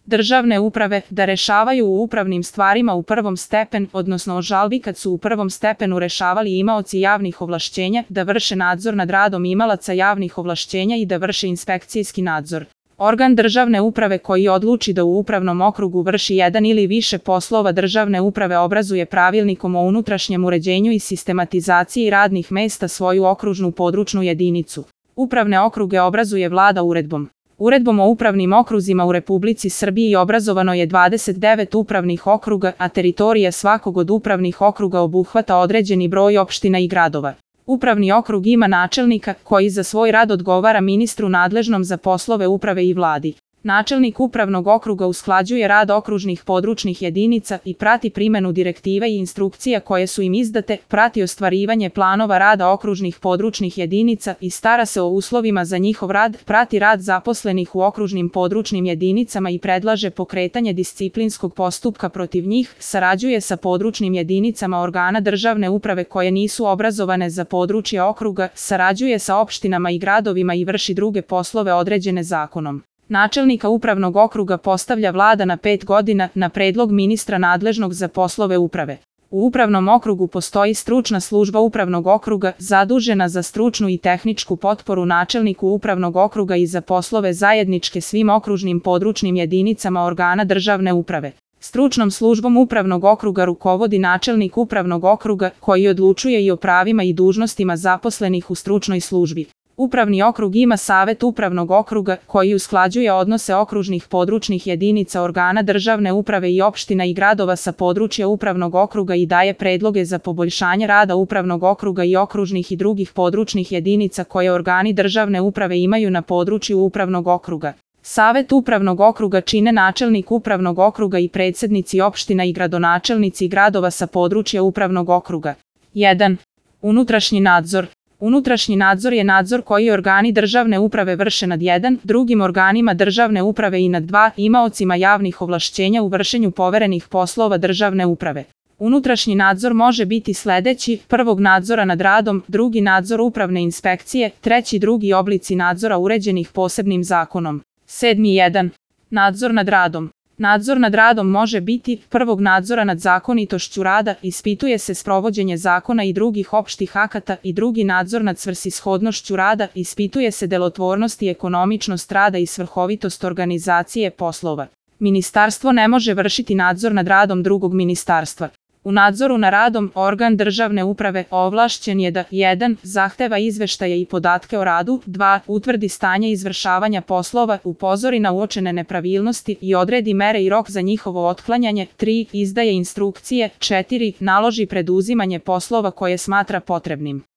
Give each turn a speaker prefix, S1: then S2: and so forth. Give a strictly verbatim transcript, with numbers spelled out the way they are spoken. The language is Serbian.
S1: državne uprave da rešavaju u upravnim stvarima u prvom stepen, odnosno o žalbi kad su u prvom stepenu rešavali imaoci javnih ovlašćenja, da vrše nadzor nad radom imalaca javnih ovlašćenja i da vrše inspekcijski nadzor. Organ državne uprave koji odluči da u upravnom okrugu vrši jedan ili više poslova državne uprave obrazuje pravilnikom o unutrašnjem uređenju i sistematizaciji radnih mesta svoju okružnu područnu jedinicu. Upravne okruge obrazuje Vlada uredbom. Uredbom o upravnim okruzima u Republici Srbiji obrazovano je dvadeset devet upravnih okruga, a teritorija svakog od upravnih okruga obuhvata određeni broj opština i gradova. Upravni okrug ima načelnika, koji za svoj rad odgovara ministru nadležnom za poslove uprave i Vladi. Načelnik upravnog okruga usklađuje rad okružnih područnih jedinica i prati primenu direktiva i instrukcija koje su im izdate, prati ostvarivanje planova rada okružnih područnih jedinica i stara se o uslovima za njihov rad, prati rad zaposlenih u okružnim područnim jedinicama i predlaže pokretanje disciplinskog postupka protiv njih, sarađuje sa područnim jedinicama organa državne uprave koje nisu obrazovane za područje okruga, sarađuje sa opštinama i gradovima i vrši druge poslove određene zakonom. Načelnika upravnog okruga postavlja Vlada na pet godina na predlog ministra nadležnog za poslove uprave. U upravnom okrugu postoji stručna služba upravnog okruga zadužena za stručnu i tehničku potporu načelniku upravnog okruga i za poslove zajedničke svim okružnim područnim jedinicama organa državne uprave. Stručnom službom upravnog okruga rukovodi načelnik upravnog okruga koji odlučuje i o pravima i dužnostima zaposlenih u stručnoj službi. Upravni okrug ima savet upravnog okruga koji usklađuje odnose okružnih područnih jedinica organa državne uprave i opština i gradova sa područja upravnog okruga i daje predloge za poboljšanje rada upravnog okruga i okružnih i drugih područnih jedinica koje organi državne uprave imaju na području upravnog okruga. Savet upravnog okruga čine načelnik upravnog okruga i predsednici opština i gradonačelnici gradova sa područja upravnog okruga. jedan. Unutrašnji nadzor. Unutrašnji nadzor je nadzor koji organi državne uprave vrše nad jedan, drugim organima državne uprave i nad dva, imaocima javnih ovlašćenja u vršenju poverenih poslova državne uprave. Unutrašnji nadzor može biti sledeći: prvog nadzora nad radom, drugi nadzor upravne inspekcije, treći drugi oblici nadzora uređenih posebnim zakonom. sedmi jedan. Nadzor nad radom. Nadzor nad radom može biti: prvog nadzora nad zakonitošću rada, ispituje se sprovođenje zakona i drugih opštih akata, i drugi nadzor nad svrsishodnošću rada, ispituje se delotvornost i ekonomičnost rada i svrhovitost organizacije poslova. Ministarstvo ne može vršiti nadzor nad radom drugog ministarstva. U nadzoru na radom organ državne uprave ovlašćen je da jedan. Zahteva izveštaje i podatke o radu, dva. Utvrdi stanje izvršavanja poslova, upozori na uočene nepravilnosti i odredi mere i rok za njihovo otklanjanje, tri. Izdaje instrukcije, četiri. Naloži preduzimanje poslova koje smatra potrebnim.